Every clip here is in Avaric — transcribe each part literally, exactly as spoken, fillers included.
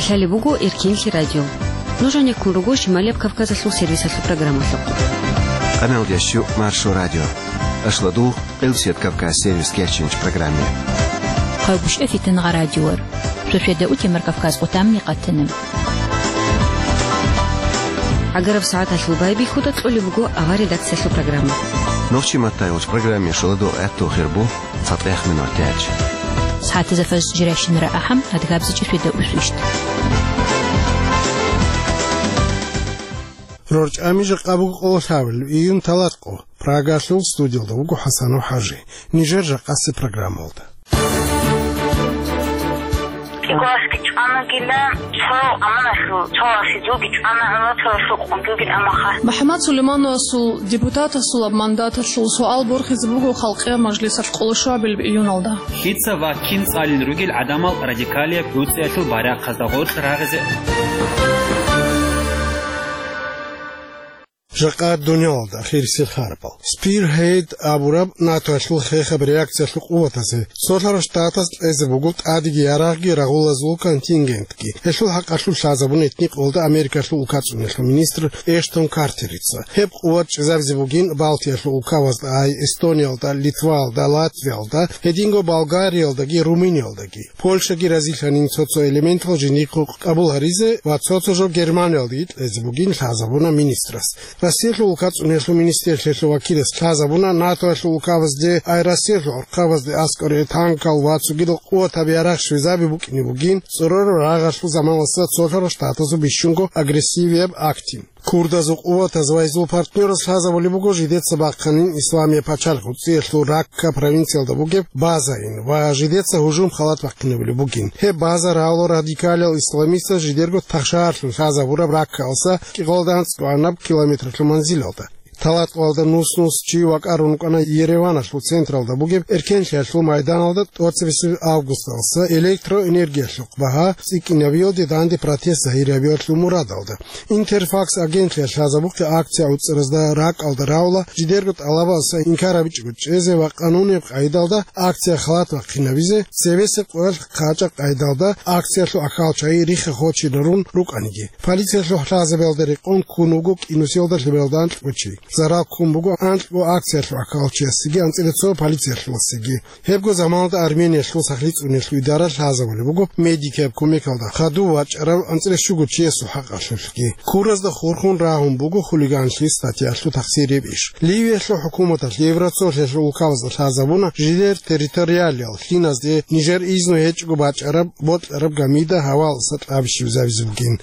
Лъалеб буго Эркенлъи радио. Нуж гьанеккун руго Шималияб Кавказалъул сервисалъул программалъухъ. Къамелдящу Маршо радио. Ашладу Къилсият Кавказ сервис кечинч программе. Хъавгуш эфитан гъа радиор. Шошеда утемар Кавказ къутамни къатана. Агараб сагӀаталъул байбихьуда кьолеб буго авар редакциялъул программа. Нохчи маттайолч программе шоладу гӀатту хирбу. ЦатӀех минутач. СагӀатазда фаз жирайщинара ахӀам, адгабзичӀеб шведа усвищ. РорчӀами жакъа буго къоло лъабабилеб июнь талатӀкъо. Прагалъул студиялда вуго ХӀасанов ХӀажи. Нижер жакъасеб программалда. КӀикъоялъги чӀванагила, цо аманалъул, цо васидулги чӀвана, гӀумру цо рахьул къундулги амаха. МухӀаммад Сулеймановасул депутатасул мандаталъул суал борхизе буго Халкъиял мажлисалъ къоло шабил июналда. Лъица ва кин цӀалин ругел гӀадамал радикалияб гӀуцӀиялъул барахъазда гъоркь рагъизе? Жакъа дуниялалда ахирисел харбал. Spearhead абураб НАТОялъул хехаб реакциялъул къуватазе, Цолъарал Штатаз кьезе буго тӀадеги ярагъги рагъулазул контингентги. Гьелъул хӀакъалъулъ лъазабун гьитӀинаб къоялда Америкалъул улкацӀунелъул министр Эштон Картерица. Гьеб къуват чӀезабизе бугин Балтиялъул улкабазда, ай Эстониялда, Литваялда, Латвиялда, гьединго Болгариялдаги Румыниялдаги. Польшаги разилъанин цо-цо элементал жиндихъ къабул гьаризе ва цо-цо жо Германиялдаги кьезе бугин лъазабуна министрас. Россиялъул улкацӀунелъул министрлъиялъул вакилас лъазабуна НАТОялъул улкабазде, ай Россиялъул гӀурхъабазде аскӀоре танкал ва цогидал къуватаб ярагъ щвезаби букӀине бугин цӀорораб рагъалъул заманалъа Цолъарал Штатазул бищунго агрессивияб актин. Курдазул къуватаз ва гьезул партнёраз лъазабулеб буго жидеца бахъанин Исламияб пачалихъ гӀуцӀиялъул Ракка провинциялда бугеб базайин ва жидеца гьужум халат бахъинабулеб бугин. Гьеб база равла радикалиял исламистаз жидерго тахшаялъун лъазабураб Раккаялдаса кӀикъоялда анцӀгоанаб километралъул манзилалда. ТалатӀкъоялда нус-нус чи вакӀарун рукӀана Ереваналъул централда бугеб Эркенлъиялъул майданалда тӀоцебесеб августалдаса электроэнергиялъухъ багьа цӀикӀкӀинабиялде данде протест загьирабиялъул мурадалда. Интерфакс агентлъиялъ лъазабухъе акция гӀуцӀаразда ракӀалда равла жидерго тӀалабаздаса инкар гьабичӀого чӀезе ва къанунияб къайдалда акция халат бахъинабизе, цебесеб къоялъ хъачӀаб къайдалда акциялъул ахӀалчагӀи рихха-хочинарун рукӀаниги. Полициялъул лъазабиялда рекъон ккун вуго кӀинусиялда лъималда анкьго чи. Зарал ккун буго анкьго акциялъул ахӀалчиясеги анцӀила цо полициялъуласеги. Гьебго заманалда Армениялъул сахлъи цӀуниялъул идара лъазабулеб буго медикияб кумекалда хадув вачӀарав анцӀила щуго чиясул хӀакъалъулъги. Куразда хурхун рагьун буго хулиганлъи статьялъул тахсир гьеб иш. Ливиялъул хӀукуматалъ Евроцолъиялъул улкабазда лъазабуна жидер территориалиял лъиназде нижер изну гьечӀого бачӀараб бокьараб гамида гьаваялдаса тӀаби щвезабизе бугин.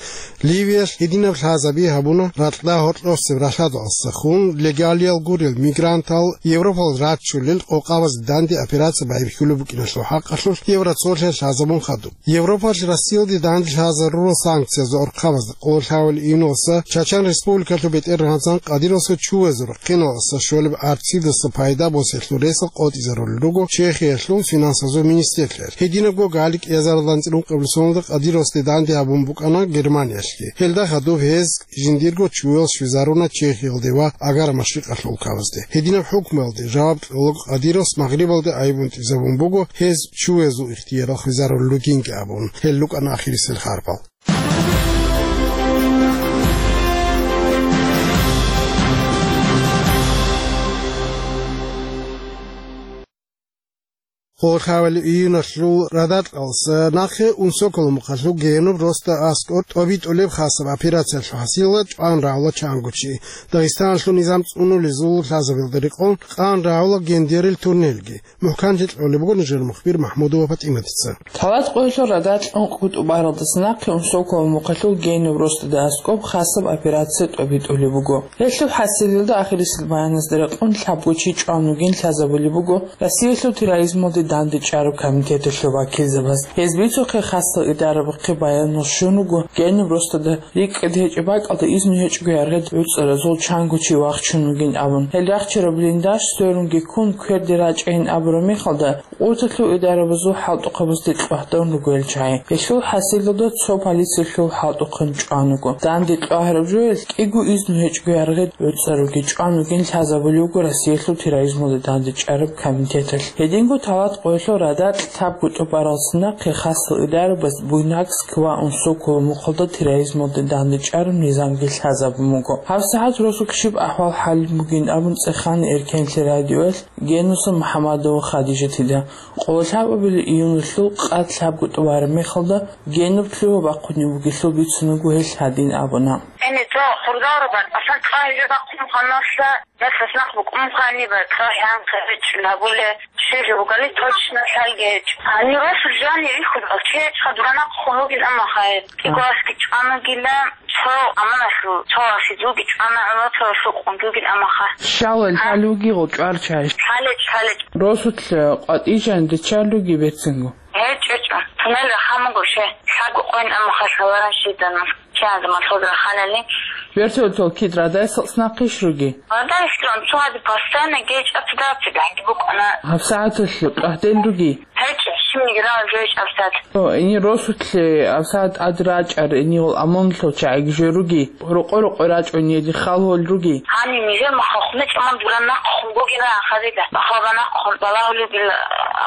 Ливиялъ гьединаб лъазаби гьабуна ракьда гьоркьосеб ралъадалдаса хун легалиял гурел мигрантал Европалде рачулел къокъабазде данде операция байбихьулеб букӀиналъул хӀакъалъулъ Евроцолъиялъ лъазабун хадуб. Европалъ Россиялде данде лъазарурал санкциязул гӀурхъабазда къоло лъабабилеб июналдаса Чачан Республикалъул бетӀергьанзан Кадыровасул чувезул рахъиналдаса щолеб арцидаса пайда босиялъул ресал къотӀизарулел руго Чехиялъул финансазул министрлъиялъ. Гьединабго галикӀ язаралда анцӀила ункъабилеб соналда Кадыровасде данде гьабун букӀана Германиялъги. Гьелда хадуб гьез жиндирго чуял щвезаруна Чехиялде ва Агар-Машрикъалъул улкабазде. Гьединаб хӀукмуялде жаваб кьолаго Кадыровас Магърибалде айбунтӀизабун буго, гьез чуязул ихтиярал хвезарулел ругинги абун. Гьел рукӀана ахирисел харбал. Къоло лъабабилеб июналъул радакьалдаса нахъе унсоколо мухъалъул генуб росда аскӀор тӀобитӀулеб хасаб операциялъул хӀасилалда чӀван рагӀула чанго чи. Дагъистаналъул низам цӀунулезул лъазабиялда рекъон къан рагӀула гендерил туннелги. МухӀканлъи кьолеб буго нижер мухбир МахӀмудова ПатӀиматица. ТалатӀкъоялъул радакьун къутӀубаралдаса нахъе унсоколо мухъалъул генуб росдада аскӀоб хасаб операция тӀобитӀулеб буго. Гьелъул хӀасилалда ахирисел баяназда рекъон лъабго чи чӀван вугин лъазабулеб буго Россиялъул терроризмалде дандечӀараб комитеталъул вакилзабаз. Гьез бицухъе хасал идарабухъе баянал щун вуго, генуб росдада рикӀкӀад гьечӀеб бакӀалда изну гьечӀого яргъид гӀуцӀаразул чанго чи вахчун вугин абун. Гьел рахчараб блиндаж сверунги ккун кверде рачӀайин абураб мехалда, къурталъул идарабазул хӀалтӀухъабазде кьвагьдавун руго гьел чагӀи. Гьелъул хӀасилалда цо полициялъул хӀалтӀухъан чӀван вуго. Данде кьвагьараб жоялъ кӀиго изну гьечӀого яргъид гӀуцӀаруги чӀван вугин лъазабулеб буго Россиялъул терроризмалде дандечӀараб комитеталъ. Гьединго талат Къоялъул радакь лъабго тӀубаралдаса нахъе хасал идарабаз Буйнакск ва Унсокова мухъалда терроризмалде дандечӀараб низамги лъазабун буго. ГьабсагӀат росулъ щиб ахӀвал-хӀал бугин абун цӀехана Эркенлъи радиоялъ Генуса МухӀаммадова Хадижатида. Къоло лъабабилеб июналъул къад лъабго тӀубараб мехалда Генуб лъугьа бахъунеб бугелъул бицун буго гьелъ гьадин абуна. Гьениб цо хурдалрабан, асан цӀа гьижа бахъун ханасла, ясас нах букӀун ханиб, цӀа хӀянкъи гьечӀун гьабуле, щиб жо бугали точно лъалги гьечӀо. Гьанир росулъ жанир рихьулел чечха дуранахъ хъулугин амма хай. Кигоаски чӀванагила, цо аманалъул, цо асидулги чӀвана, гӀуна цо сукъундулгин амма ха. Щала А? Лъалуги гъочӀварчай. Лъалеч, лъалеч. Росулъ къватӀижан дечалуги берцинго. ГьечӀо, гьечӀо. Тунел рахамуго ше. Лъабго къойин амма ха лъаларан щидана. Чанза малъуд раханани. Вертолетал кид радайсал снахъиш руги? Радайслъун, цо гьади постоянно гечӀ ацадаци гӀаги букӀана. ГьабсагӀаталъ къагьдел руги? ГьечӀо, щибниги рал гечӀ абсад. О, ини росулъе абсагӀат тӀад рачӀар, ини гъол амоналъул чагӀиги жо руги? Рокъо-рокъо рачӀун еди халгьол руги? Гьанив нижер махалхъ мечӀ аман дуран нахъхъун бугила ахарида. Махалба нахъхъун балагьулебил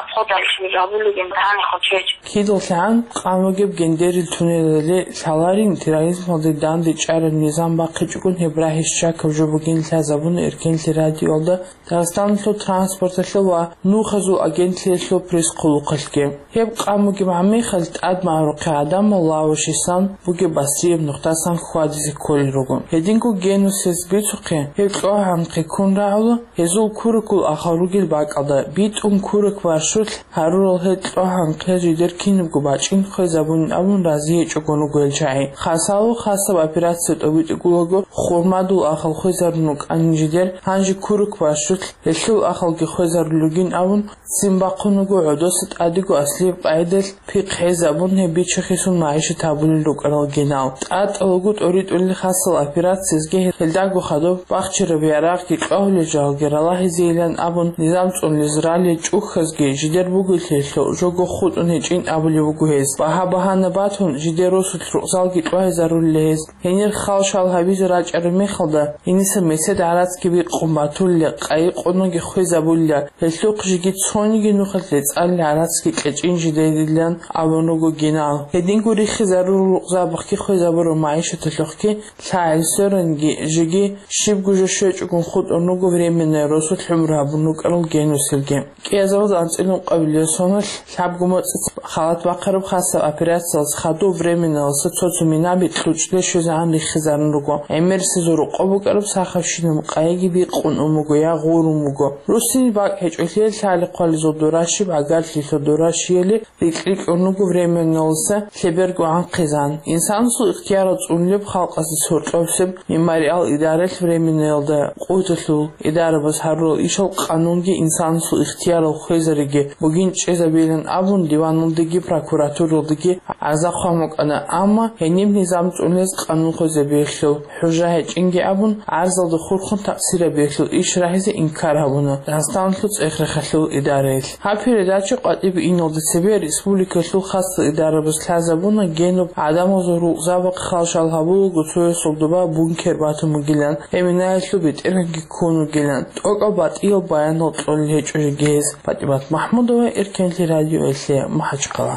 обходалъ жабулебин гьанихъун чечӀ. КидалъагӀан къан вугеб Гендерил туннелалде лъаларин терроризмалде дандечӀараб низам бахъичӀогун гьеб рагьи щакаб жо бугин лъазабуна Эркенлъи радиоялда Дагъистаналъул транспорталъул ва нухазул агентлъиялъул пресс-хъулухъалъги. Гьеб къан бугеб гӀаммихъал тӀад магӀарухъе гӀадамал лавашисан бугеб басрияб нухдасан хьвадизе кколел руго. Гьединго Генусица бицухъе, гьеб кьогьанхъе ккун рагӀула, гьезул куракул ахал ругел бакӀалда, битӀун курак маршрут гьарурал гьел кьогьанхъе жидер кинабго бачӀин хвезабунин абун рази гьечӀогун руго гьел чагӀи. Хасало хасаб операция тӀобитӀигулаго, хурмадул ахал хвезарун рукӀанин жидер, гьанже курак маршрут гьелъул ахалги хвезарулел ругин абун, ццин бахъун вуго гӀодоса тӀадего аслияб къайдалъ пихъ гьезабун гьеб бичахъесул магӀишат гьабулел рукӀарал генал. ТӀатӀалаго тӀоритӀулел хасал операциязги гьелдаго хадуб бахчараб ярагъги кьвагьулел жагьалги ралагьизейилан абун, низам цӀунулез ралел чӀухьазги жидер бугелъиялъул жого хутӀун гьечӀин абулеб буго гьез. Багьа-багьана батун, жидер росулъ рукъзалги кьвагьизарулел гьез. Гьенир хал-шал гьабизе рачӀараб мехалда, гьениса месед гӀарацги бикъун батулел, къайи-къунги хвезабулел, гьелъухъ жеги цониги нухалъ рецӀалел гӀарацги кьечӀин жидерилан абун руго генал. Гьединго риххизарурал рукъзабахъги хвезабураб магӀишаталъухъги лъагӀел сверанги жеги щибго жо щвечӀогун хутӀун руго временное росулъ гӀумру гьабун рукӀарал Генусилги. КӀиазаралда анцӀила ункъабилеб соналъ лъабго моцӀи халат бахъараб хасаб операциялъ хадуб временналъа цо-цо минаби кьучӀде щвезегӀан риххизарун руго. ГӀемерисезул рокъоб букӀараб сахавщинаб къайиги бикъун ун буго я гъурун буго. Руссинил бакӀ гьечӀолъиялъ лъали-хъвализул дора щиб гӀагарлъилъа дора щияли рикь-рикь ун руго временналъа лъеберго гӀанхъизан. Инсанасул ихтиярал цӀунулеб халкъазе соркьовсеб Мемориал идараялъ временналда къотӀулъул идарабаз гьарурал ишал къанунги инсанасул ихтиярал хвезариги бугин чӀезабейилан абун, диваналдеги прокуратуралдеги гӀарза хъван букӀана, амма гьениб низам цӀунулез къанун хвезабиялъул хӀужа гьечӀинги абун, гӀарзалда хурхун такъсирабиялъул иш рагьизе инкар гьабуна Дагъистаналъул цӀех-рехалъул идараялъ. Гьаб передача къватӀибе иналда цебе республикалъул хасал идарабаз лъазабуна Генуб гӀадамазул рукъзабахъ хал-шал гьабулаго цоясул доба бункер батун бугилан, гьеб минаялъул бетӀергьанги ккун вугилан, тӀокӀаб батӀиял баянал кьолел гьечӀо жеги гьез. ПатӀимат МахӀмудова, Эркенлъи радиоялъе, МахӀачхъала.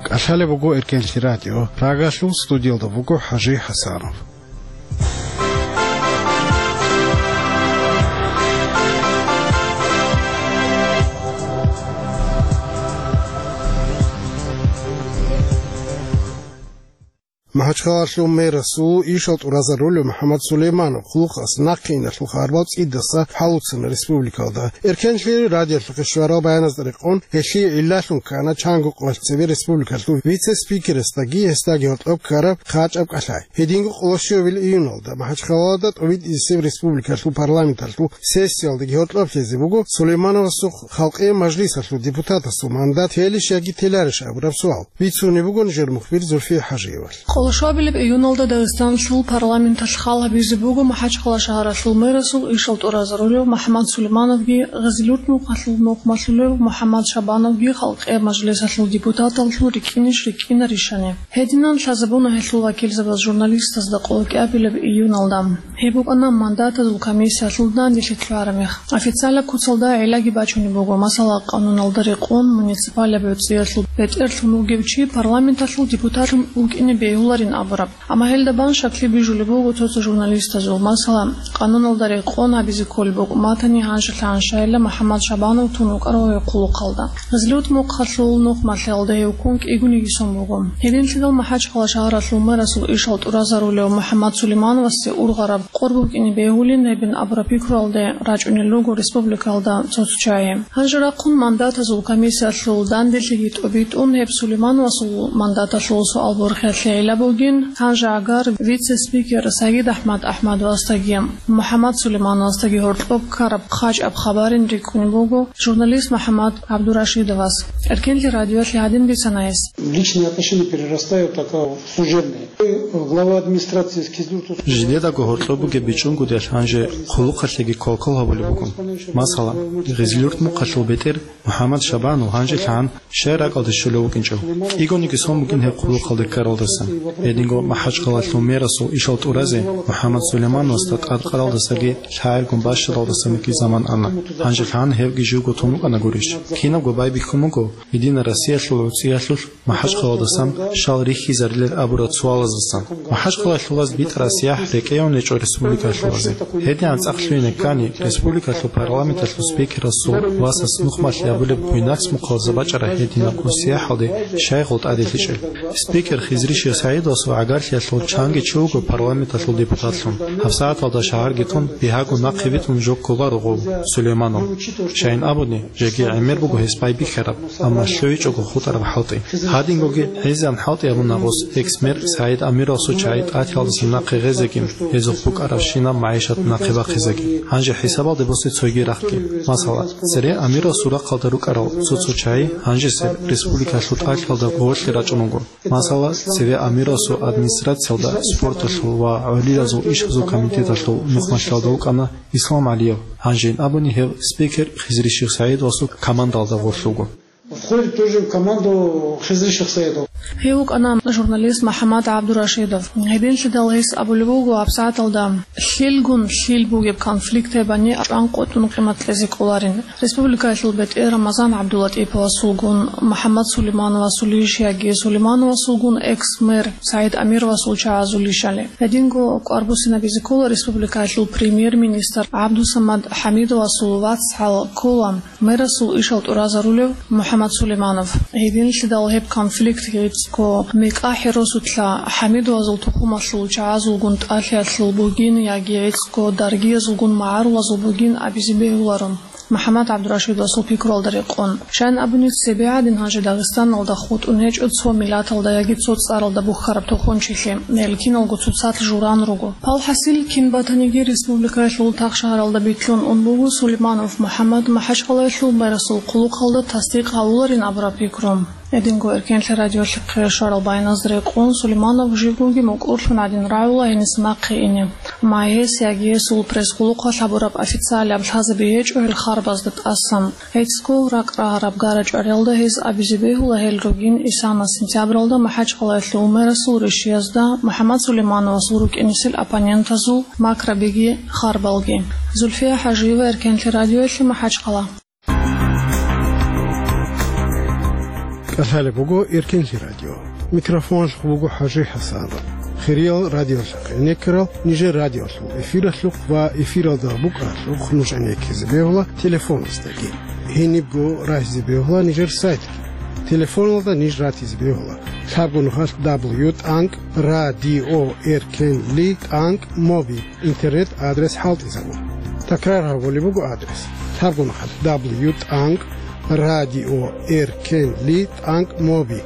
КӀалъалеб буго Эркенлъи радио. Прагалъул студиялда вуго ХӀажи ХӀасанов. МахӀачхъалалъул мэрасул ишал тӀуразарулев МухӀаммад Сулейманов хъулухъас нахъе иналъул хабар цӀидаса хӀалуцана республикалда. Эркенлъи радиолъухъе щварал баяназда рекъон, гьелъие гӀиллалъун ккана чанго къоялъ цебе республикалъул вице-спикерасдаги гьесдаги гьоркьоб ккараб хъачӀаб кӀалъай. Гьединго къоло щуабилеб июналда МахӀачхъалада тӀобитӀизесеб республикалъул парламенталъул сессиялдаги гьоркьоб лъезе буго Сулеймановасухъ Халкъиял мажлисалъул депутатасул мандат телищ яги теларищ абураб суал. Бицунеб буго нижер мухбир Зульфия ХӀажиевалъ. Щуабилеб июналда Дагъистаналъул парламенталъ хал гьабизе буго МахӀачхъала шагьаралъул мэрасул ишал тӀуразарулев МухӀаммад Сулеймановги, Гъизилюрт мухъалъул нухмалъулев МухӀаммад Шабановги халкъияб мажлисалъул депутаталлъун рикӀкӀинищ рикӀкӀинарищани. Гьединан лъазабуна гьелъул вакилзабаз журналистазда къоло кӀиабилеб июналда. Гьеб букӀана мандатазул комиссиялъул данделъи лъугӀараб мех. Официалаб куцалда гӀиллаги бачунеб буго, масала, къануналда рекъон муниципалаб гӀуцӀиялъул бетӀерлъун вугев чи парламенталъул депутатлъун вукӀине бегьуларин абураб. Амма гьелда бан щаклъи бижулеб буго цо-цо журналистазул, масала, къануналда рекъон гьабизе кколеб букӀун батани, гьанжелъагӀан щайила МухӀаммад Шабанов тун вукӀарав гьев хъулухъалда. Гъизилюрт мухъалъул нухмалъиялда гьев ккун кӀигониги сон буго. Гьединлъидал МахӀачхъала шагьаралъул мэрасул ишал тӀуразарулев МухӀаммад Сулеймановасде ургъараб къор букӀине бегьулин гьебин абураб пикруялде рачӀунел руго республикаялда цо-цо чагӀи. Гьанже рахъун мандатазул комиссиялъул данделъиги тӀобитӀун, гьеб Сулеймановасул мандаталъул суал-борхиялъе гӀилла бугин, гьанже агар вице-спикер Сагид АхӀмад АхӀмадовасдаги МухӀаммад Сулеймановасдаги гьоркьоб ккараб хъачӀаб хабарин рикӀкӀунеб буго журналист МухӀаммад ГӀабдурашидовас. Эркенлъи радиоялъе гьадин бицана гьес. Личные отношения перерастают в такое служебное. Глава администрации Кизлюрта. Жидедаго гьоркьоб бугеб бичӀчӀунгутӀиялъ гьанже хъулухъалъеги квалквал гьабулеб буго. Масала, Гъизилюрт мухъалъул бетӀер МухӀаммад Шабанов гьанжелъагӀан щай ракӀалде щолев вукӀинчӀев. КӀигониги сон бугин гьеб хъулухъалде ккаралдасан. Гьединго МахӀачхъалалъул мэрасул ишал тӀуразе МухӀаммад Сулеймановасда тӀадкъаралдасаги лъагӀелгун бащадалдасаниги заман ана. ГьанжелъагӀан гьевги живго тун вукӀана гурищ? Кинабго байбихьун буго Единая Россиялъул гӀуцӀиялъулъ МахӀачхъалалдасан щал рихьизарилел абураб суалаздасан. МахӀачхъалалъулаз битӀараб сияхӀ рекӀеян гьечӀо республикалъулазе. Гьединан цӀакъ лъугьине ккани, республикалъул парламенталъул спикерасул васас нухмалъи гьабулеб Буйнакск мухъалазда бачӀараб гьединаб къо сияхӀалде щай гъол тӀаделъичӀел. Спикер Хизри Шихъ СагӀидовасул гӀагарлъиялъул чанги чи вуго парламенталъул депутатлъун. ГьабсагӀаталда шагьарги тун, бигьаго нахъе битӀун жо кколаро гъов, Сулейманов. Щайин абуни, жеги гӀемер буго гьес байбихьараб, амма лъугьичӀого хутӀараб хӀалтӀи. Гьадингоги гӀезегӀан хӀалтӀи гьабуна гъос экс-мэр СагӀид Амировасул чагӀи тӀатиялдаса нахъе гъезегин, гьезухъ букӀарабщинаб магӀишат нахъе бахъизегин. Гьанже хӀисабалде босе цоги рахъги. Масала, цере Амировасул рахъалда рукӀарал цо-цо чагӀи гьанжесеб республикалъул тӀалъиялда гъорлъе рачӀун вуго. Масала, цеве Амировасул администрациялда спорталъул ва гӀолилазул ишазул комитеталъул нухмалъиялда вукӀана Ислам ГӀалиев, гьанжейин абуни гьев спикер Хизри Шихъ СагӀидовасул командалда гъорлъ вуго. Входит тоже в команду Хизри Шихъ СагӀидов. Гьев вукӀана журналист МухӀаммад ГӀабдурашидов. Гьединлъидал гьес абулеб буго гьабсагӀаталда лъилгун лъил бугеб конфликт гьебани чӀван къотӀун къимат кьезе кӀоларин. Республикаялъул бетӀер Рамазан ГӀабдулатӀиповасулгун, МухӀаммад Сулеймановасулищ яги Сулеймановасулгун экс-мэр СагӀид Амировасул чагӀазулищали. Гьединго кӀвар буссинабизе ккола республикаялъул премьер-министр ГӀабдусамад ХӀамидовасул вацгӀал ккола мэрасул ишал тӀуразарулев МухӀаммад Сулейманов. Гьединлъидал гьеб конфликт гӀицӀго мекъа хӀеросулъа ХӀамидовазул тухумалъул чагӀазулгун тӀалъиялъул бугин яги гӀицӀго даргиязулгун магӀарулазул бугин абизе бегьуларо. МухӀаммад ГӀабдурашидовасул пикруялда рекъон. Щайин абуни, цебе гӀадин гьанже Дагъистаналда хутӀун гьечӀо цо миллаталда яги цо цӀаралда бухьараб тухунчилъи, гьел киналго цоцалъ журан руго. Палхасил кин батаниги республикаялъул тахшагьаралда битлъун ун буго Сулейманов МухӀаммад МахӀачхъалаялъул мэрасул хъулухъалда тасдикъ гьавуларин абураб пикру. Гьединго Эркенлъи радиолъухъе щварал баяназда рекъон, Сулейманов живгоги мукӀурлъун гӀадин рагӀула гьениса нахъе ине. Амма гьес яги гьесул пресс-хъулухъалъ гьабураб официалияб лъазаби гьечӀо гьел харбазда тӀасан. ГӀицӀго ракӀ рагьараб гара-чӀвариялда гьез абизе бегьула гьел ругин исана сентябралда МахӀачхъалаялъул мэрасул ришиязда МухӀаммад Сулеймановасул рукӀинесел оппонентазул макрабиги харбалги. Зульфия ХӀажиева, Эркенлъи радиоялъе, МахӀачхъала. КӀалъалеб буго Эркенлъи радио. Микрофоналъухъ буго ХӀажи ХӀасанов. Хириял радиолъахъ гӀенеккарал нижер радиолъул эфиралъухъ ва эфиралда букӀаралъухъ нуж гӀенеккизе бегьула телефоназдаги. Гьенибго рагьизе бегьула нижер сайтги. Телефоналда ниж ратизе бегьула: лъабго нухалъ дабл ю тӀанкӀ радио эркенли тӀанкӀ моби. Интернет-адрес хӀалтӀизабун. Такрар гьабулеб буго адрес: лъабго нухалъ дабл ю тӀанкӀ радио эркенли тӀанкӀ моби.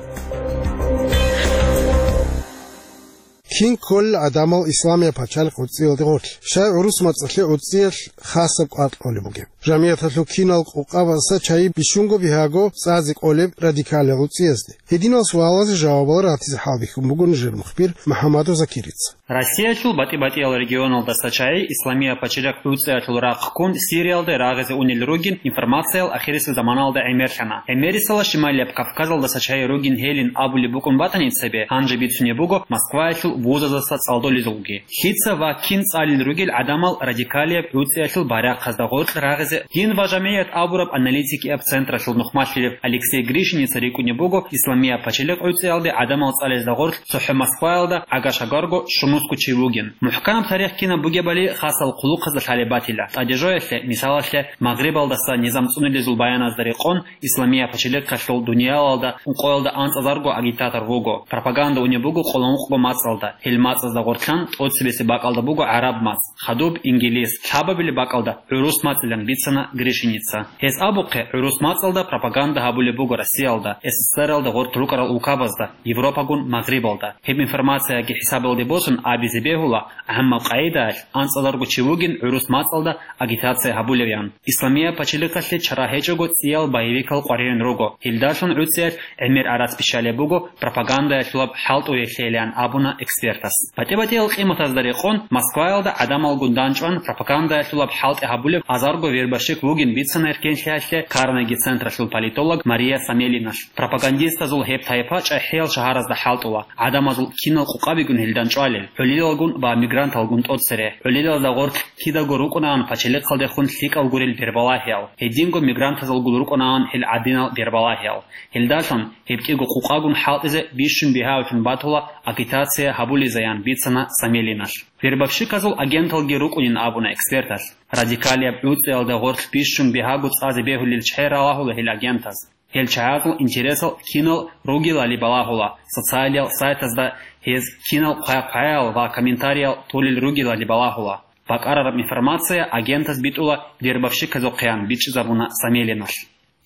Кин кколел гӀадамал Исламия пачалихъ гӀуцӀиялде гъорлъ, щай гӀурус мацӀалъе гӀуцӀиялъ хасаб кӀвар кьолеб бугеб. ЖамигӀаталъул кинал къукъабазда чагӀи бищунго бигьаго цӀазе кӀолеб радикалил гӀуцӀиязде. Гьединал суалазе жавабал ратизе хӀалбихьун буго нижер мухбир МухӀаммадов Закирица. Россиялъул батӀи-батӀиял регионалдаса чагӀи Исламия пачалихъ гӀуцӀиялъул рахъ ккун Сириялде рагъизе унел ругин информациялъ ахирисеб заманалда гӀемерлъана. ГӀемерисела Шималияб Кавказалдаса чагӀи ругин гьелин абулеб букӀун батани цебе, гьанже бицунеб буго Москваялъул вузаздаса цӀалдолезулги. Лъица ва кин цӀалел ругел гӀадамал радикалияб гӀуцӀиялъул байрахъазда гъоркь рагъизе дин ва жамигӀат абураб аналитикияб централъул нухмалъилев Алексей Гришиница рикӀкӀунеб буго Исламия пачалихъ гӀуцӀиялде гӀадамал цӀалезда гъоркь цохӀо Москваялда агашагарго щунусго чи вугин. МухӀканаб тарих кинаб бугебали хасал хъулухъазда лъалеб батила. ТӀадежоялъе, мисалалъе, Магърибалдаса низам цӀунилезул баяназда рекъон, Исламия пачалихъалъул дуниялалда ункъоялда анцӀазарго агитатор вуго. Пропаганда унеб буго къоло ункъго мацӀалда, гьел мацӀазда гъоркьан тӀоцебесеб бакӀалда буго гӀараб мацӀ, хадуб, ингилис, лъабабилеб бакӀалда гӀурус мацӀилан бицана Гришиница. Гьес абухъе, гӀурус мацӀалда пропаганда гьабулеб буго Россиялда, СССРалда гъоркь рукӀарал улкабазда, Европагун Магърибалда. Гьеб информацияги хӀисабалде босун абизе бегьула, гӀаммаб къагӀидаялъ анцӀазарго чи вугин гӀурус мацӀалда агитация гьабулевян. Исламия пачалихъалъе чара гьечӀого цӀиял боевикал къваригӀун руго. Гьелдалъун гӀуцӀиялъ гӀемер арас бищалеб буго пропагандаялъулаб хӀалтӀуялъейилан абуна экспертас. БатӀи-батӀиял къиматазда рекъон, Москваялда гӀадамалгун данчӀван пропагандаялъулаб хӀалтӀи гьабулеб азарго вербовщик вугин бицана эркенлъиялъе Карнеги централъул политолог Мария Самелиналъ. Пропагандистазул гьеб тайпа чӀахӀиял шагьаразда хӀалтӀула, гӀадамазул кинал къукъабигун гьел данчӀвалел, гӀолилалгун ва мигранталгун тӀоцере, гӀолилазда гъоркь кидаго рукӀунаан пачалихъалдехун лъикӀал гурел бербалагьиял, гьединго мигрантазулгун рукӀунаан гьел гӀадинал бербалагьиял. Гьелдалъун гьеб кӀиго къукъагун хӀалтӀизе бищун бигьаулъун батула агитация гьабулезаян бицана Самелиналъ. Вербовщиказул агенталги рукӀунин абуна эксперталъ. Радикалияб гӀуцӀиялда гъорлъ бищун бигьаго цӀазе бегьулел чагӀи ралагьула гьел агентаз. Гьел чагӀазул интересал кинал ругелали балагьула, социалиял сайтазда гьез кинал хъвай-хъваял ва комментариял толел ругелали балагьула. БакӀарараб информация агентаз битӀула вербовщиказухъеян бичӀчӀизабуна Самелиналъ.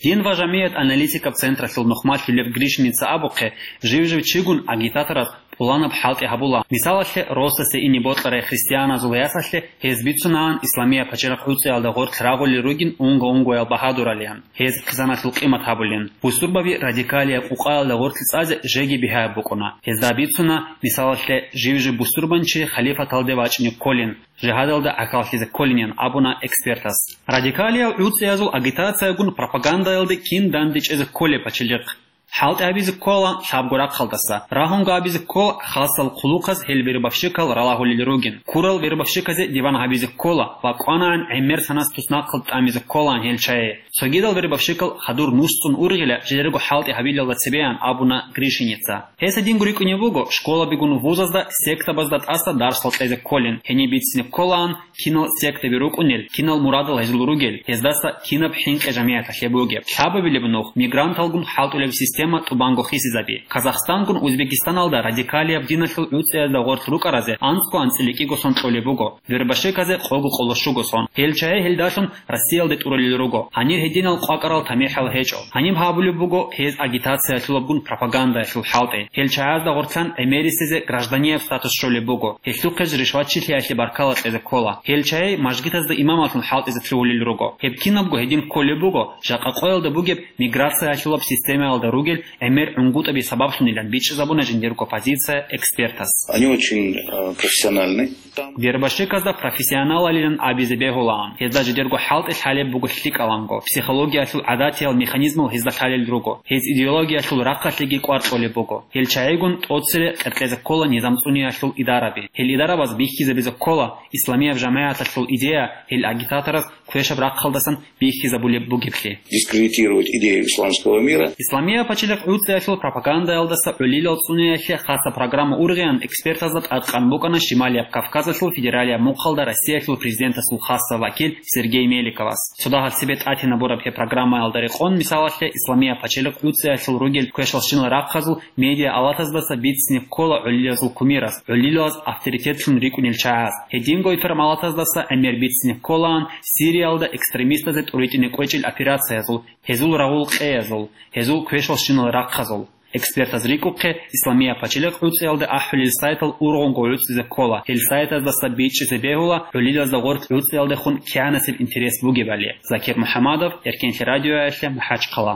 Дин ва жамигӀат аналитикаб централъул нухмалъулев Гришиница абухъе, жив-жив чигун агитаторас пуланаб хӀалтӀи гьабула. Мисалалъе, росасе ине бокьарай христианазул ясалъе гьез бицунаан Исламия пачалихъ гӀуцӀиялда гъоркь рагъулел ругин унго-унгоял багьадуралиан, гьез хъизаналъул къимат гьабулин. Бусурбаби радикалияб къукъаялда гъоркь цӀазе жеги бигьаяб букӀуна. Гьезда бицуна, мисалалъе, жив-жив бусурбанчи халифаталде вачӀине кколин, жигьадалда гӀахьаллъизе кколинин абуна экспертас. Радикалиял гӀуцӀиязул агитациягун пропагандаялде кин дандечӀезе кколеб пачалихъ? ХӀалтӀи гьабизе ккола лъабго рахъалдаса. Рагьунго абизе ккола хасал хъулухъаз гьел вербовщикал ралагьулел ругин. Ккурал вербовщиказе диван гьабизе ккола ва кӀванаан гӀемер санас туснахъалд тӀамизе кколаан гьел чагӀи. Цогидал вербовщикал хадур нусцӀун ургъила жидерго хӀалтӀи гьабилалда цебеян абуна Гришиница. Гьес гьединго рикӀкӀунеб буго, школабигун вузазда сектабазда тӀаса дарсал кьезе кколин, гьениб бицине кколаан, кинал сектаби рукӀунел, кинал мурадал гьезул ругел, гьездаса кинаб хӀинкъи жамигӀаталъе бугеб. Лъабабилеб нух мигранталгун хӀалтӀулеб система тӀубанго хисизаби. Казахстангун Узбекистаналда радикалияб диналъул гӀуцӀиязда гъорлъ рукӀаразе анцӀго анцӀила кӀиго сон кьолеб буго, вербовщиказе къого къоло щуго сон. Гьел чагӀи гьелдалъун Россиялде тӀуралел руго. Гьанир гьединал къвакӀарал тамихӀал гьечӀо. Гьаниб гьабулеб буго гьез агитациялъулабгун пропагандаялъул хӀалтӀи. Гьел чагӀазда гъоркьан гӀемерисезе гражданияб статус щолеб буго. Гьелъухъе ришватчилъиялъе баркала кьезе ккола. Гьел чагӀи мажгитазда имамалъун хӀалтӀизе лъугьулел руго. Гьеб кинабго гьедин кколеб буго, жакъа къоялда бугеб миграциялъулаб системаялда ругел гӀемер гӀунгутӀаби сабаблъунилан бичӀчӀизабуна жиндирго позиция экспертас. Они очень, э, профессиональны. Вербовщиказда профессионалалилан абизе бегьулаан. Гьезда жидерго хӀалтӀи лъалеб буго лъикӀаланго. Психологиялъул гӀадатиял механизмал гьезда лъалел руго. Гьез идеологиялъул рахъалъеги кӀвар кьолеб буго. Гьел чагӀигун тӀоцере къеркьезе ккола низам цӀуниялъул идараби. Гьел идарабаз бихьизабизе ккола исламияб жамагӀаталъул идея гьел агитатораз квешаб рахъалдасан бихьизабулеб бугеблъи. Дискредитировать идею исламского мира. Исламия пачалихъ гӀуцӀиялъул пропагандаялдаса гӀолилал цӀуниялъе хаса программа ургъиян экспертазда тӀадкъан букӀана Шималияб Кавказалъул федералияб мухъалда Россиялъул президентасул хаса вакил Сергей Меликовас. Цо дагьаб цебе тӀатинабураб гьеб программаялда рекъон, мисалалъе, Исламия пачалихъ гӀуцӀиялъул ругел квешалщинал рахъазул медиа алатаздаса бицине ккола гӀолилазул кумирас, гӀолилаз авторитетлъун рикӀкӀунел чагӀаз. Гьединго информалатаздаса гӀемер бицине кколаан Сириялда экстремистазе тӀуритӀине кӀвечӀел операциязул, гьезул рагъул къеязул, гьезул квешалщинал рахъазул. Экспертаз рикӀкӀухъе, Исламия пачалихъ гӀуцӀиялде ахӀулел сайтал ургъунго гӀуцӀизе ккола, гьел сайтаздаса бичӀчӀизе бегьула гӀолилазда гъорлъ гӀуцӀиялдехун кигӀанасеб интерес бугебали. Закир МухӀаммадов, Эркенлъи радиоялъе, МахӀачхъала.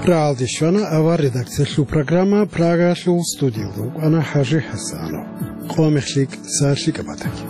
РагӀалде щвана авар редакциялъул программа Прагаялъул, студиялда вукӀана ХӀажи ХӀасанов. Къо мехлъи, сахлъи кӀабатаги.